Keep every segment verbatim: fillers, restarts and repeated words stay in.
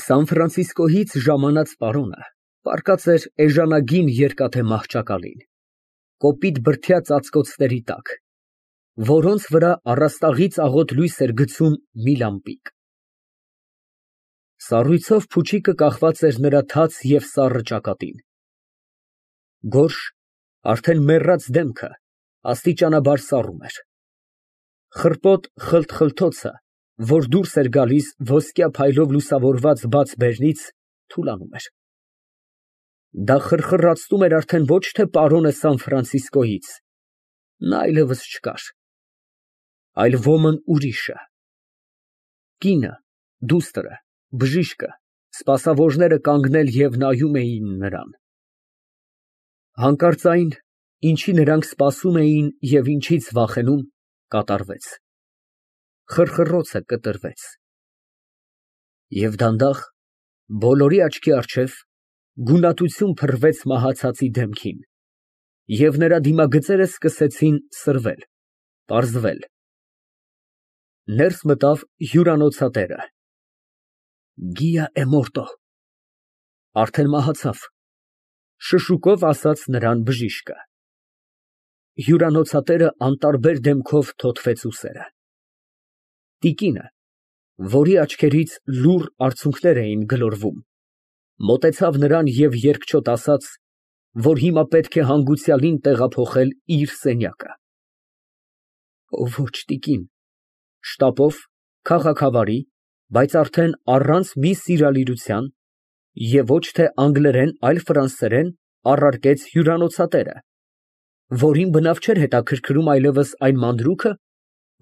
Սան Ֆրանցիսկոյից ժամանած պարոնը պառկած էր էժանագին երկաթե մահճակալին, կոպիտ բրդյա ծածկոցների տակ, որոնց վրա առաստաղից աղոտ լույս էր գցում մի լամպիկ։ Սառույցով փուչիկը կախված էր նրա թաց և սառը ճակատին։ Գորշ, արդեն մեռած դեմքը աստիճանաբար սառում էր։ Խռպոտ խլթխլթոցը, որ դուրս էր գալիս ոսկյա փայլով լուսավորված բաց բերնից, թուլանում էր։ Դա խրխռացնում էր արդեն ոչ թե պարոնը Սան Ֆրանցիսկոյից, նա այլևս չկար, այլ ոմն ուրիշը։ Կինը, դուստրը, բժիշկը, սպասավորները կանգնել և նայում էին նրան։ Հանկարծ այն, ինչի նրանք սպասում էին և ինչից վախենում, կատարվեց, խրխռոցը կտրվեց։ Եվ դանդաղ, բոլորի աչքի առջև, գունատություն փռվեց մահացածի դեմքին, և նրա դիմագծերը սկսեցին սրվել, պարզվել։ Ներս մտավ հյուրանոցատերը։ «Գիա է մորտո» (արդեն մահացավ) շշուկով ասաց նրան բժիշկը։ Հյուրանոցատերը անտարբեր դեմքով թոթվեց ուսերը։ Տիկինը, որի աչքերից լուռ արցունքներ էին գլորվում, մոտեցավ նրան և երկչոտ ասաց, որ հիմա պետք է հանգուցյալին տեղափոխել իր սենյակը։ Ոչ, տիկին, (շտապով, քաղաքավարի, բայց արդեն առանց մի սիրալիրության և ոչ թե անգլերեն, այլ ֆրանսերեն) առարկեց հյուրանոցատերը, որին բնավ չէր հետաքրքրում այլևս այն մանրուքը,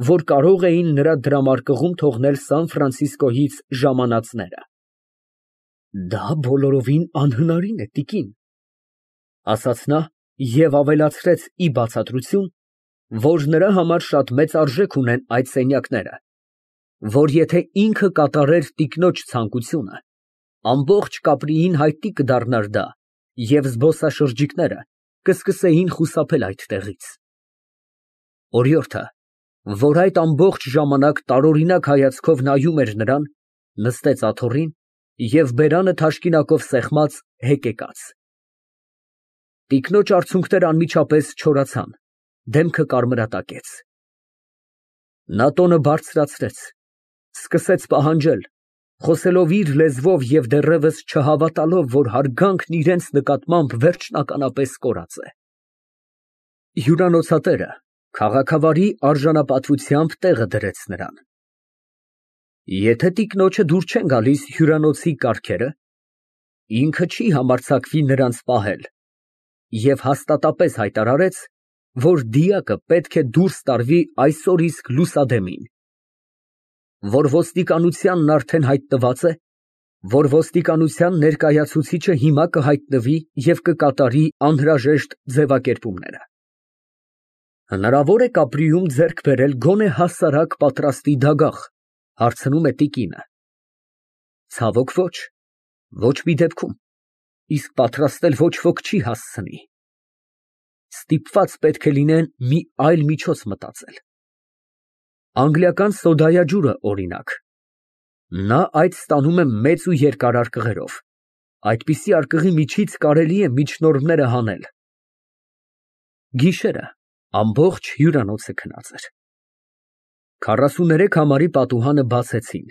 որ կարող էին նրա դրամարկղում թողնել Սան Ֆրանցիսկոյից ժամանածները։ Դա բոլորովին անհնարին է, տիկին, ասաց նա և ավելացրեց ի բացատրություն, որ նրա համար շատ մեծ արժեք ունեն այդ սենյակները, որ եթե ինքը կատարեր տիկնոջ ցանկությունը, ամբողջ Կապրիին հայտնի կդառնար դա, և զբոսաշրջիկները կսկսեին խուսափել այդտեղից։ Օրիորդը, որ այդ ամբողջ ժամանակ տարօրինակ հայացքով նայում էր նրան, նստեց աթոռին և բերանը թաշկինակով սեղմած, հեկեկաց։ Տիկնոջ արցունքները անմիջապես չորացան, դեմքը կարմրատակեց։ Նա տոնը բարձրացրեց, սկսեց պահանջել, խոսելով իր լեզվով և դեռևս չհավատալով, որ հարգանքն իրենց նկատմամբ վերջնականապես կորած է։ Հյուրանոցատերը քաղաքավարի արժանապատվությամբ տեղը դրեց նրան։ Եթե տիկնոջը դուր չեն գալիս հյուրանոցի կարգերը, ինքը չի համարձակվի նրանց պահել և հաստատապես հայտարարեց, որ դիակը պետք է դուրս տարվի այսօր իսկ լուսադեմին, որ ոստիկանությանն արդեն հայտնված է, որ ոստիկանության ներկայացուցիչը հիմա կհայտնվի և կկատարի անհրաժեշտ ձևակերպումները։ Հնարավո՞ր է Կապրիում ձեռք բերել գոնե հասարակ պատրաստի դագաղ, հարցնում է տիկինը։ Ցավոք, ոչ, ոչ մի դեպքում, իսկ պատրաստել ոչ ոք չի հասցնի։ Ստիպված պետք է լինեն մի այլ միջոց մտածել։ Անգլիական սոդայաջուրը, օրինակ, նա այդ ստանում է մեծ ու երկար արկղերով, այդպիսի արկղի միջից կարելի է միջնորդները հանել։ Գիշերը ամբողջ հյուրանոցը քնած էր։ Քառասուներեք համարի պատուհանը բացեցին,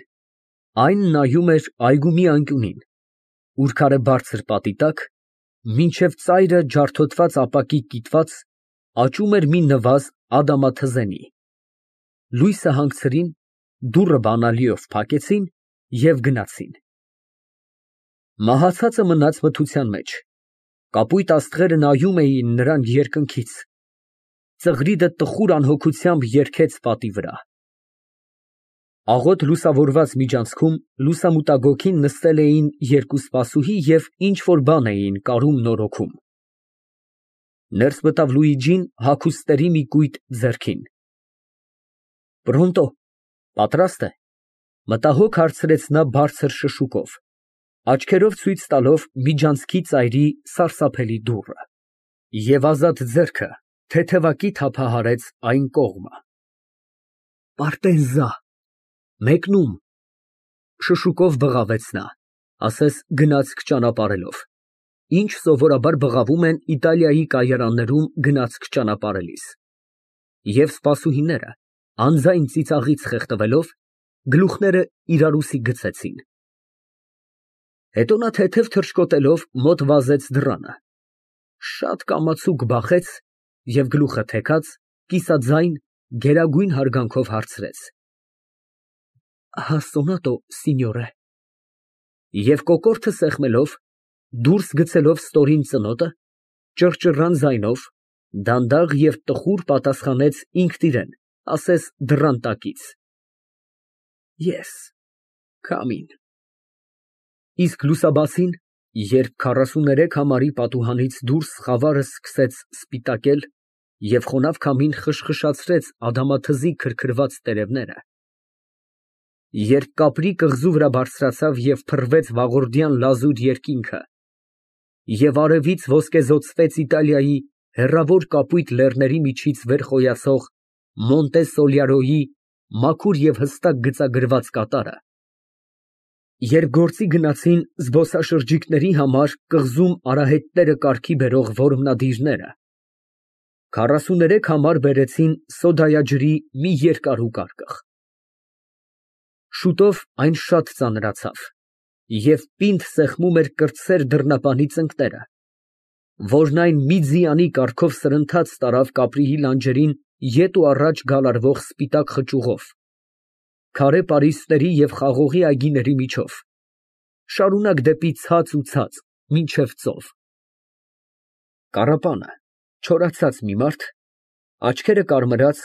այն նայում էր այգու մի անկյունին, ուռքարը բարձր պատի տակ, մինչև ծայրը ջարդոտված ապակի կիտված, աճում էր մի նվազ ադամաթզենի։ Լույսը հանգցրին, դուռը բանալիով փակեցին և գնացին։ Մահացածը մնաց մթության մեջ, կապույտ աստղերը նայում էին նրան երկնքից, ծղրիդը տխուր անհոգությամբ երգեց պատի վրա։ Աղոտ լուսավորված միջանցքում լուսամուտագոգին նստել էին երկու սպասուհի և ինչ֊որ բան էին կարում֊նորոգում։ Ներս մտավ Լուիջին հագուստերի մի կույտ ձեռքին։ Պռոնտո, պատրա՞ստ է, մտահոգ հարցրեց նա բարձր շշուկով, աչքերով ցույց տալով միջանցքի ծայրի սարսափելի դուռը, և ազատ ձեռքը թեթևակի թափահարեց այն կողմը։ Պարտեզա, մեկնում, շշուկով բղավեց նա։ ասես գնացք ճանապարհելով, ինչ սովորաբար բղավում են Իտալիայի կայարաններում գնացք ճանապարհելիս, և սպասուհիները, անձայն ծիծաղից խեղդվելով, գլուխները իրարուսի գցեցին։ Հետո նա թեթև թռչկոտելով մոտ վազեց դռանը, շատ կամացուկ բախեց և գլուխը թեքած, կիսաձայն, գերագույն հարգանքով հարցրեց. «Հասունատո, սինյորե» և կոկորդը սեղմելով, դուրս գցելով ստորին ծնոտը, ճռճռան ձայնով, դանդաղ և տխուր պատասխանեց ինքն իրան, ասես դռան տակից. Ես, Քամին։ Իսկ լուսաբացին, երբ քառասուներեք համարի պատուհանից դուրս խավարը սկսեց սպիտակել և խոնավ քամին խշխշացրեց ադամաթզի քրքրված տերևները, երբ կապրի կղզու վրա բարձրացավ և փռվեց վաղորդյան լազուր երկինքը, և արևից ոսկեզօծվեց Իտալիայի հեռավոր կապույտ լեռների միջից վեր խոյացող Մոնտե Սոլիարոյի մաքուր և հստակ գծագրված կատարը, երբ գործի գնացին զբոսաշրջիկների համար կղզում արահետները կարգի բերող որմնադիրները, քառասուներեք համար բերեցին սոդայաջրի մի երկարու կարկղ։ Շուտով այն շատ ծանրացավ և պինդ սեղմում էր կրտսեր դռնապանի ծնկները, որն այն մի ձիանի կարգով սրընթաց տարավ կապրիի լանջերին ետ ու առաջ գալարվող սպիտակ խճուղով, քարե պարիսպների և խաղողի այգիների միջով, շարունակ դեպի ցած ու ցած, մինչև ծով։ Կառապանը, չորացած մի մարդ, աչքերը կարմրած,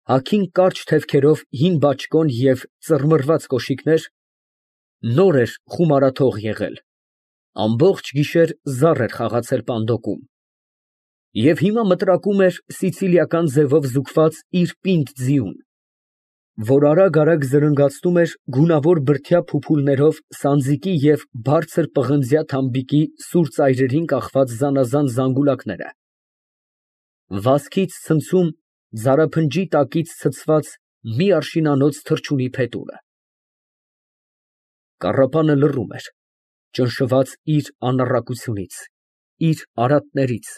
հագին կարճ թևքերով հին բաճկոն և ծռմռված կոշիկներ, նոր էր խումարաթող եղել, ամբողջ գիշեր զառ էր խաղացել պանդոկում և հիմա մտրակում էր սիցիլիական ձևով զուգված իր պինդ ձիուն, որ արագ֊արագ զրնգացնում էր գունավոր բրդյա փուփուլներով սանձիկի և բարձր պղնձյա թամբիկի սուր ծայրերին կախված զանազան զանգուլակները, վազքից ցնցում ձարափնջի տակից ցցված մի արշինանոց թռչունի փետուրը։ Կառապանը լռում էր, ճնշված իր անառակությունից, իր արատներից,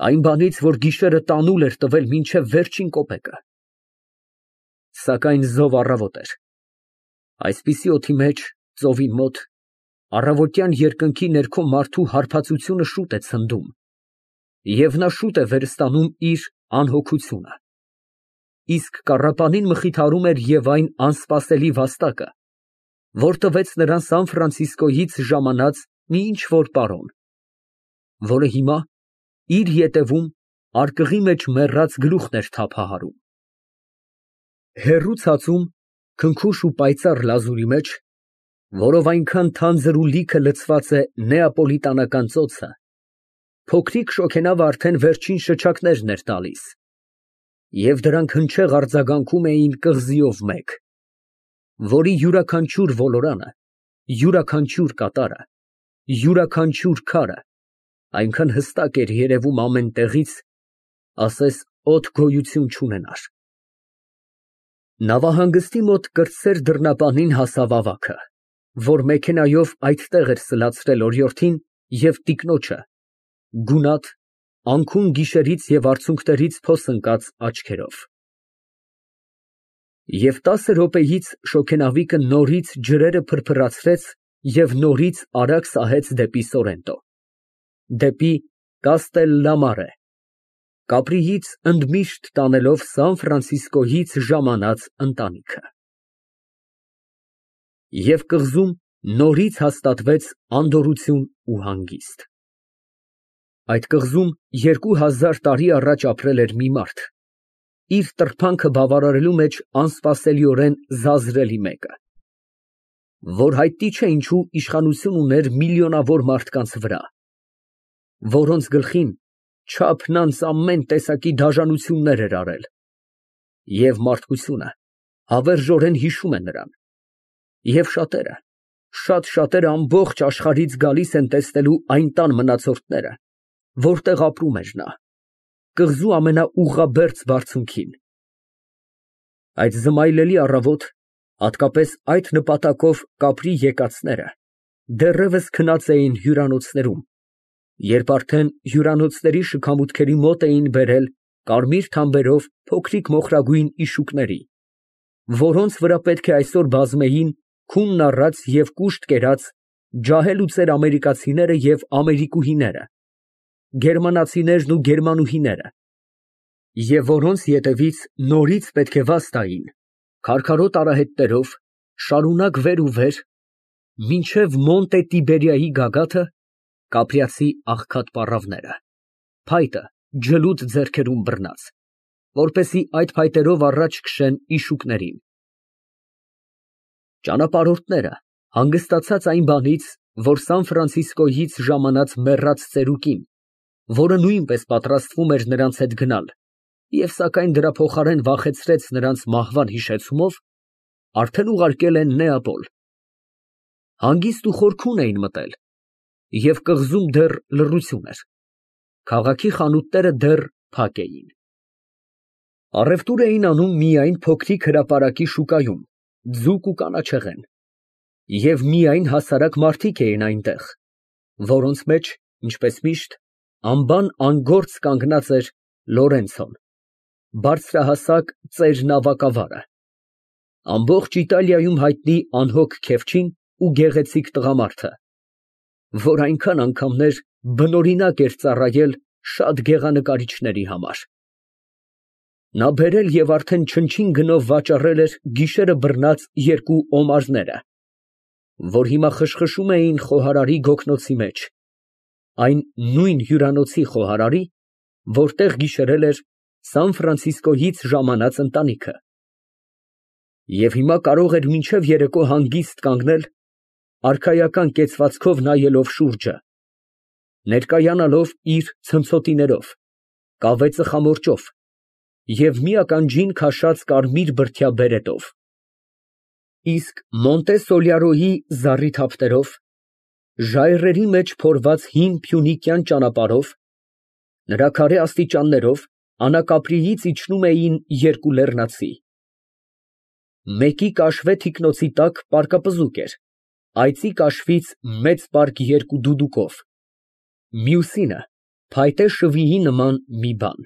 այն բանից, որ գիշերը տանուլ էր տվել մինչև վերջին կոպեկը։ Սակայն զով առավոտ էր, այսպիսի օդի մեջ, ծովին մոտ, առավոտյան երկնքի ներքո մարդու հարբածությունը շուտ է ցնդում, և նա շուտ է վերստանում իր անհոգությունը, իսկ կառապանին մխիթարում էր և այն անսպասելի վաստակը, որ տվեց նրան Սան Ֆրանցիսկոյից ժամանած մի ինչ֊որ պարոն, որը հիմա իր ետևում արկղի մեջ մեռած գլուխն էր թափահարում։ Հեռու ցածում, քնքուշ ու պայծառ լազուրի մեջ, որով այնքան թանձր ու լիքը լցված է նեապոլիտանական ծոցը, փոքրիկ շոգենավը արդեն վերջին շչակներն էր տալիս, և դրանք հնչեղ արձագանքում էին կղզիով մեկ, որի յուրաքանչյուր ոլորանը, յուրաքանչյուր կատարը, յուրաքանչյուր քարը այնքան հստակ էր երևում ամեն տեղից, ասես օդ գոյություն չունենար։ Նավահանգստի մոտ կրտսեր դռնապանին հասավ ավագը, որ մեքենայով այդտեղ էր սլացրել օրիորդին և տիկնոջը, գունատ, անքուն գիշերից և արցունքներից փոս ընկած աչքերով։ Եվ տասը րոպեից շոգենավիկը նորից ջրերը փրփրացրեց և նորից արագ սահեց դեպի Սորենտո, դեպի Կաստելլամարե, Կապրիից ընդմիշտ տանելով Սան Ֆրանցիսկոյից ժամանած ընտանիքը։ Եվ կղզում նորից հաստատվեց անդորրություն ու հանգիստ։ Այդ կղզում երկու հազար տարի առաջ ապրել էր մի մարդ, իր տրփանքը բավարարելու մեջ անսպասելիորեն զազրելի մեկը, որ հայտնի չէ ինչու իշխանություն ուներ միլիոնավոր մարդկանց վրա, որոնց գլխին չափն անց ամեն տեսակի դաժանություններ էր արել, և մարդկությունը հավերժորեն հիշում է նրան, և շատերը, շատ շատերը ամբողջ աշխարհից գալիս են տեսնելու այն տան մնացորդները, որտեղ ապրում էր նա, կղզու ամենաուղղաբերձ բարձունքին։ Այդ զմայլելի առավոտ, հատկապես այդ նպատակով կապրի եկածները դեռևս քնած էին հյուրանոցներում, երբ արդեն հյուրանոցների շքամուտքերի մոտ էին բերել կարմիր թամբերով փոքրիկ մոխրագույն իշուկների, որոնց վրա պետք է այսօր բազմեին քունն առած և կուշտ կերած ջահել ու ծեր ամերիկացիները և ամերիկուհիները, գերմանացիներն ու գերմանուհիները, և որոնց ետևից նորից պետք է վազ տային, քարքարոտ արահետներով, շարունակ վեր ու վեր, մինչև Մոնտե Տիբերիայի գագաթը, կապրիացի աղքատ պառավները, փայտը ջլուդ ձեռքերում բռնած, որպեսզի այդ փայտերով առաջ քշեն իշուկներին։ Ճանապարհորդները, հանգստացած այն բանից, որ Սան Ֆրանցիսկոյից ժամանած մեռած ծերուկին, որը նույնպես պատրաստվում էր նրանց հետ գնալ և սակայն դրա փոխարեն վախեցրեց նրանց մահվան հիշեցումով, արդեն ուղարկել են Նեապոլ։ Հանգիստ ու խորքուն էին մտել, և կղզում դեռ լռություն էր, քաղաքի խանութները դեռ փակ էին։ Առևտուր էին անում միայն փոքրիկ հրապարակի շուկայում, ձուկ ու կանաչեղեն, և միայն հասարակ մարդիկ էին այնտեղ, որոնց մեջ, ինչպես միշտ, անբան անգործ կանգնած էր Լորենցոն, բարձրահասակ ծեր նավակավարը, ամբողջ Իտալիայում հայտնի անհոգ քեֆչին ու գեղեցիկ տղամարդը, որ այնքան անգամներ բնօրինակ էր ծառայել շատ գեղանկարիչների համար։ Նա բերել և արդեն չնչին գնով վաճառել էր գիշերը բռնած երկու օմարները, որ հիմա խշխշում էին խոհարարի գոգնոցի մեջ, այն նույն հյուրանոցի խոհարարի, որտեղ գիշերել էր Սան Ֆրանցիսկոյից ժամանած ընտանիքը, և հիմա կարող էր մինչև երեկո հանգիստ կանգնել, արքայական կեցվածքով նայելով շուրջը, ներկայանալով իր ցնցոտիներով, կավե ծխամորճով և մի ականջին քաշած կարմիր բրդյա բերետով, իսկ Մոնտե Սոլյարոյի զառիթափտերով, ժայռերի մեջ փորված հին փյունիկյան ճանապարհով, նրա քարե աստիճաններով Անակապրիից իջնում էին երկու լեռնացի. մեկի կաշվե թիկնոցի տակ պարկապզուկ էր, այծի կաշվից մեծ պարկ երկու դուդուկով, մյուսինը փայտե շվիի նման մի բան։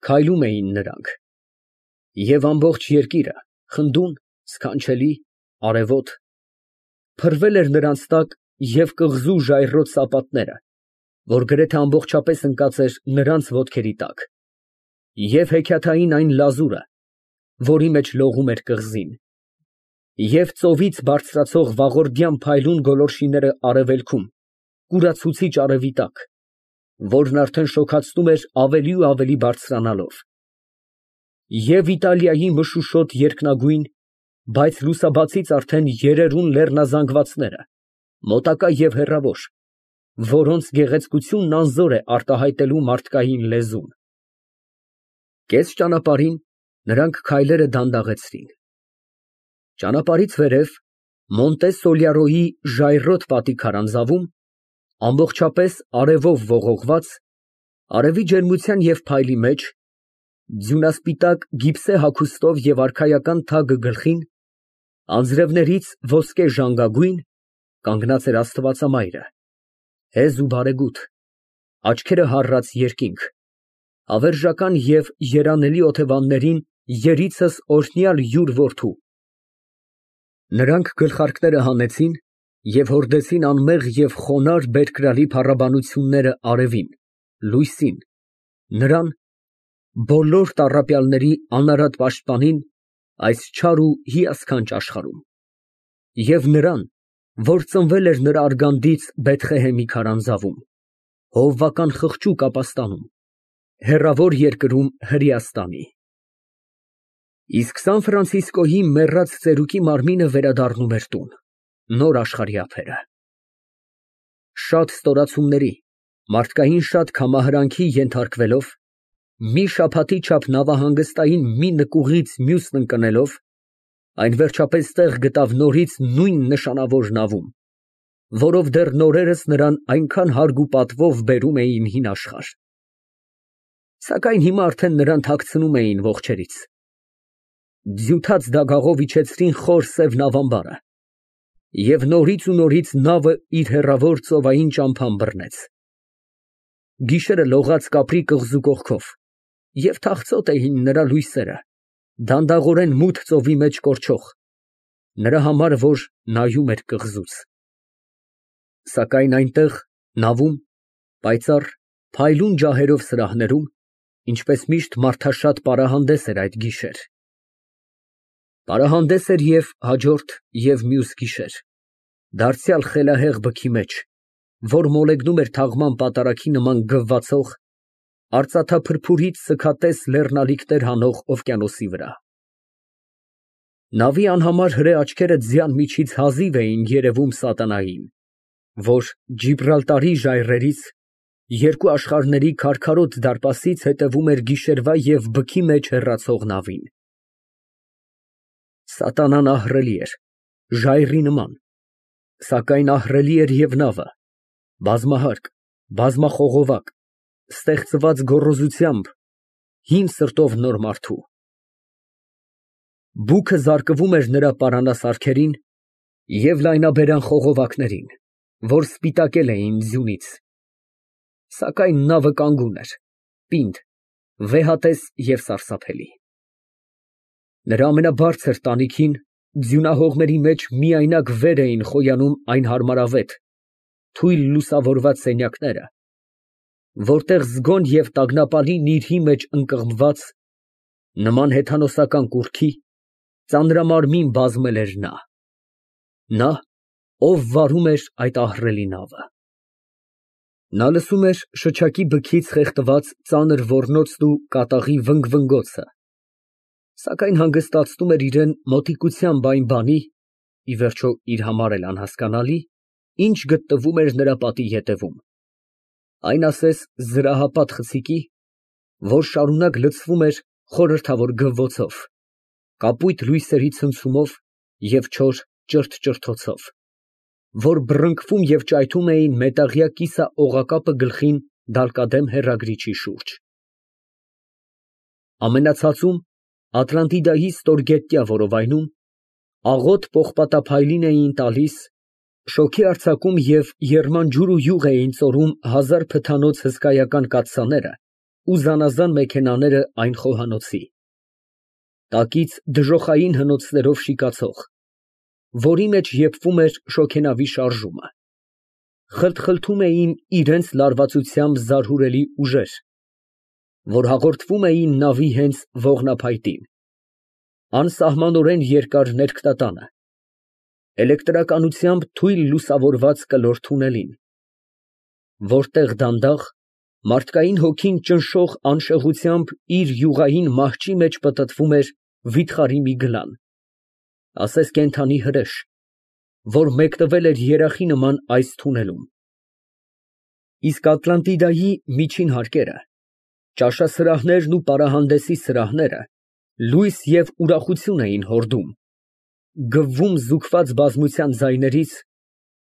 Քայլում էին նրանք, և ամբողջ երկիրը, խնդուն, սքանչելի, արևոտ, փռվել էր նրանց տակ և կղզու ժայռոտ սապատները, որ գրեթե ամբողջապես ընկած էր նրանց ոտքերի տակ, և հեքիաթային այն լազուրը, որի մեջ լողում էր կղզին, և ծովից բարձրացող վաղորդյան փայլուն գոլորշիները արևելքում, կուրացուցիչ արևի տակ, որն արդեն շոգացնում էր ավելի ու ավելի բարձրանալով, և Իտալիայի մշուշոտ երկնագույն, բայց լուսաբացից արդեն երերուն լեռնազանգվածները, մոտակա և հեռավոր, որոնց գեղեցկությունն անզոր է արտահայտելու մարդկային լեզուն։ Կես ճանապարհին նրանք քայլերը դանդաղեցրին։ Ճանապարհից վերև, Մոնտե Սոլյարոյի ժայռոտ պատի քարանձավում, ամբողջապես արևով ողողված, արևի ջերմության և փայլի մեջ, ձյունասպիտակ գիպսե հագուստով և արքայական թագ գլխին, անձրևներից ոսկե ժանգագույն, կանգնած էր աստվածամայրը, հեզ ու բարեգութ, աչքերը հառած երկինք, հավերժական և երանելի օթևաններին երիցս օրհնյալ յուր որդու։ Նրանք գլխարկները հանեցին և հորդեցին անմեղ և խոնարհ բերկրալի փառաբանությունները արևին, լույսին, նրան, բոլոր տառապյալների անարատ պաշտպանին այս չար ու հիասքանչ աշխարհում, և նրան, որ ծնվել էր նրա արգանդից Բեթղեհեմի քարանձավում, հովվական խղճուկ ապաստանում, հեռավոր երկրում Հրեաստանի։ Իսկ Սան Ֆրանցիսկոյի մեռած ծերուկի մարմինը վերադառնում էր տուն, նոր աշխարհի ափերը։ Շատ ստորացումների, մարդկային շատ քամահրանքի ենթարկվելով, մի շաբաթի չափ նավահանգստային մի նկուղից մյուսն ընկնելով, այն վերջապես տեղ գտավ նորից նույն նշանավոր նավում, որով դեռ նորերս նրան այնքան հարգ ու պատվով բերում էին հին աշխարհ։ Սակայն հիմա արդեն նրան թաքցնում էին ողջերից։ Ձյութած դագաղով իջեցրին խոր սև նավամբարը Եվ նորից ու նորից նավը իր հեռավոր ծովային ճամփան բռնեց։ Գիշերը լողաց կապրի կղզու կողքով, և թախծոտ էին նրա լույսերը, դանդաղորեն մութ ծովի մեջ կորչող, նրա համար, որ նայում էր կղզուց։ Սակայն այնտեղ, նավում, պայծառ, փայլուն ջահերով սրահներում, ինչպես միշտ մարդաշատ պարահանդես էր այդ գիշեր։ Պարահանդես էր և հաջորդ և մյուս գիշեր, դարձյալ խելահեղ բքի մեջ, որ մոլեգնում էր թաղման պատարագի նման գվվացող, արծաթափրփուրից սգատես լեռնալիքներ հանող օվկիանոսի վրա։ Նավի անհամար հրե աչքերը ձյան միջից հազիվ էին երևում սատանային, որ Ջիբրալտարի ժայռերից, երկու աշխարհների քարքարոտ դարպասից հետևում էր գիշերվա և բքի մեջ հեռացող նավին։ Սատանան ահռելի էր, ժայռի նման, սակայն ահռելի էր և նավը, բազմահարկ, բազմախողովակ, ստեղծված գոռոզությամբ, հին սրտով նոր մարդու։ Բուքը զարկվում էր նրա պարանասարքերին և լայնաբերան խողովակներին, որ սպիտակել էին ձյունից, սակայն նավը կանգուն էր, պինդ, վեհատես և սարսափելի։ Նրա ամենաբարձր տանիքին ձյունահողմերի մեջ միայնակ վեր էին խոյանում այն հարմարավետ, թույլ լուսավորված սենյակները, որտեղ զգոն և տագնապալի նիրհի մեջ ընկղմված, նման հեթանոսական կուռքի, ծանրամարմին բազմել էր նա, նա, ով վարում էր այդ ահռելի նավը։ Նա լսում էր շչակի բքից խեղդված ծանր ոռնոցն ու կատաղի վնգվնգոցը, սակայն հանգստացնում էր իրան մոտիկությամբ այն բանի (ի վերջո իր համար էլ անհասկանալի), ինչ գտնվում էր նրա պատի ետևում, այն ասես զրահապատ խցիկի, որ շարունակ լցվում էր խորհրդավոր գվվոցով, կապույտ լույսերի ցնցումով և չոր ճրթճրթոցով, որ բռնկվում և ճայթում էին մետաղյա կիսաօղակապը գլխին դալկադեմ հեռագրիչի շուրջ։ Ամենացածում, Ատլանտիդայի ստորգետնյա որովայնում, աղոտ պողպատափայլին էին տալիս, շոգի արձակում և եռման ջուր ու յուղ էին ծորում հազար փթանոց հսկայական կաթսաները ու զանազան մեքենաները այն խոհանոցի, տակից դժոխային հնոցներով շիկացող, որի մեջ եփվում էր շոգենավի շարժումը, խլթխլթում էին իրանց լարվածությամբ զարհուրելի ուժեր, որ հաղորդվում էին նավի հենց ողնափայտին, անսահմանորեն երկար ներքնատանը, էլեկտրականությամբ թույլ լուսավորված կլոր թունելին, որտեղ դանդաղ, մարդկային հոգին ճնշող անշեղությամբ իր յուղային մահճի մեջ պտտվում էր վիթխարի մի գլան, ասես կենդանի հրեշ, որ մեկնվել էր երախի նման այս թունելում։ Իսկ Ատլանտիդայի միջին հարկերը, ճաշասրահներն ու պարահանդեսի սրահները լույս և ուրախություն էին հորդում, գվվում զուգված բազմության ձայներից,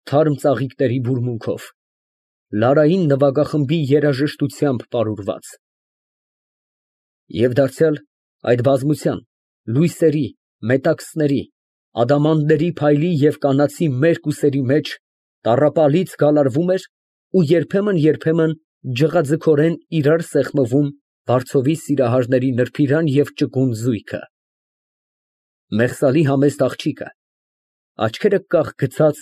թարմ ծաղիկների բուրմունքով, լարային նվագախմբի երաժշտությամբ պարուրված։ Եվ դարձյալ այդ բազմության, լույսերի, մետաքսների, ադամանդների փայլի և կանացի մերկ ու սերի մեջ տառապալից գալարվում էր ու երբեմն֊երբեմն ջղաձգորեն իրար սեղմվում վարձովի սիրահարների նրբիրան և ճկուն զույգը, մեղսալի համեստ աղջիկը, աչքերը կախ գցած,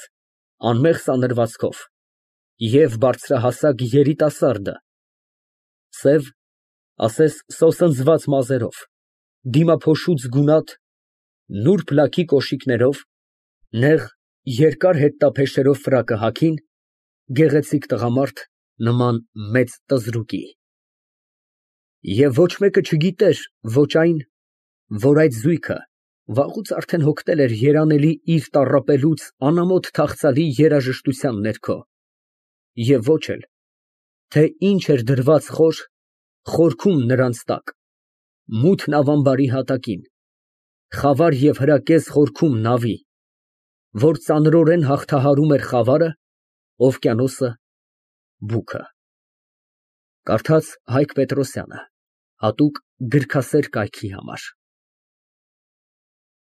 անմեղ սանրվածքով, և բարձրահասակ երիտասարդը, սև, ասես սոսնձված մազերով, դիմափոշուց գունատ, նուրբ լաքի կոշիկներով, նեղ, երկար հետտափեշերով ֆրակը հագին, գեղեցիկ տղամարդ, նման մեծ տզրուկի։ Եվ ոչ մեկը չգիտեր ոչ այն, որ այդ զույգը վաղուց արդեն հոգնել էր երանելի իր տառապելուց անամոթ թախծալի երաժշտության ներքո, և ոչ էլ, թե ինչ էր դրված խոր, խորքում նրանց տակ, մութ նավամբարի հատակին, խավար և հրակեզ խորքում նավի, որ ծանրորեն հաղթահարում էր խավարը, օվկիանոսը, բուքը։ Կարդաց Հայկ Պետրոսյանը, հատուկ գրքասեր կայքի համար։